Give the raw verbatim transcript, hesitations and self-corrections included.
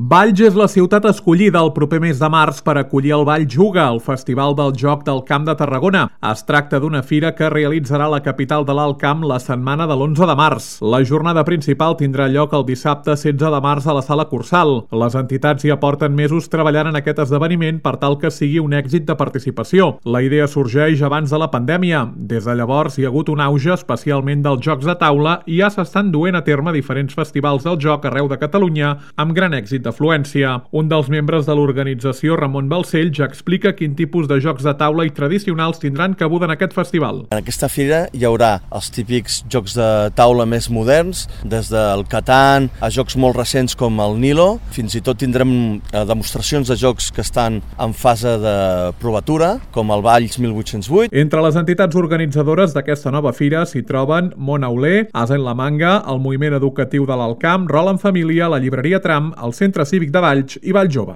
Valls és la ciutat escollida el proper mes de març per acollir el Valls Juga, el Festival del Joc del Camp de Tarragona. Es tracta d'una fira que realitzarà la capital de l'Alt Camp la setmana de l'onze de març. La jornada principal tindrà lloc el dissabte setze de març a la Sala Cursal. Les entitats hi aporten mesos treballant en aquest esdeveniment per tal que sigui un èxit de participació. La idea sorgeix abans de la pandèmia. Des de llavors hi ha hagut un auge especialment dels jocs de taula i ja s'estan duent a terme diferents festivals del joc arreu de Catalunya amb gran èxit d'afluència. Un dels membres de l'organització, Ramon Balcells, ja explica quin tipus de jocs de taula i tradicionals tindran cabuda en aquest festival. En aquesta fira hi haurà els típics jocs de taula més moderns, des del Catan a jocs molt recents com el Nilo. Fins i tot tindrem demostracions de jocs que estan en fase de provatura, com el Valls mil vuit-cents vuit. Entre les entitats organitzadores d'aquesta nova fira s'hi troben Món Auler, Asa en la Manga, el Moviment Educatiu de l'Alt Camp, Rol en Família, la Llibreria Tram, el Centre Cívic de Valls i Valls Jove.